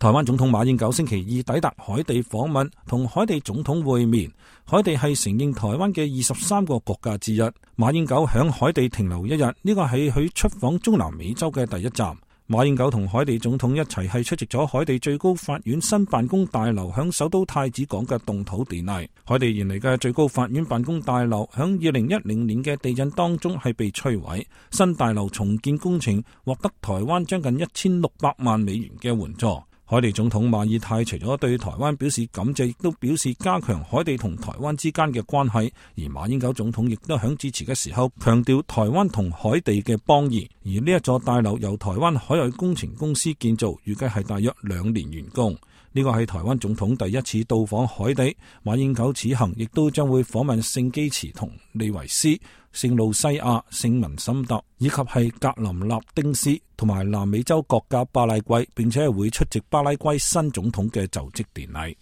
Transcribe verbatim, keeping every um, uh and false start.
台灣總統馬英九星期二抵達海地訪問，同海地總統會面。海地係承認台灣嘅二十三個國家之一。馬英九響海地停留一日，呢個係佢出訪中南美洲嘅第一站。馬英九同海地總統一齊係出席咗海地最高法院新辦公大樓響首都太子港嘅動土典禮。海地原嚟嘅最高法院辦公大樓響二零一零年嘅地震當中係被摧毀，新大樓重建工程獲得台灣將近一千六百萬美元嘅援助。海地總統馬爾泰除咗對台灣表示感謝，亦都表示加強海地同台灣之間嘅關係。而馬英九總統亦都響致辭嘅時候強調台灣同海地嘅邦誼。而呢一座大樓由台灣海外工程公司建造，預計係大約兩年完工。呢個係台灣總統第一次到訪海地。馬英九此行亦都將會訪問聖基茨同利維斯、聖路西亞、聖文森特以及係格林納丁斯同埋南美洲國家巴拉圭，並且係會出席巴拉圭新總統嘅就職典禮。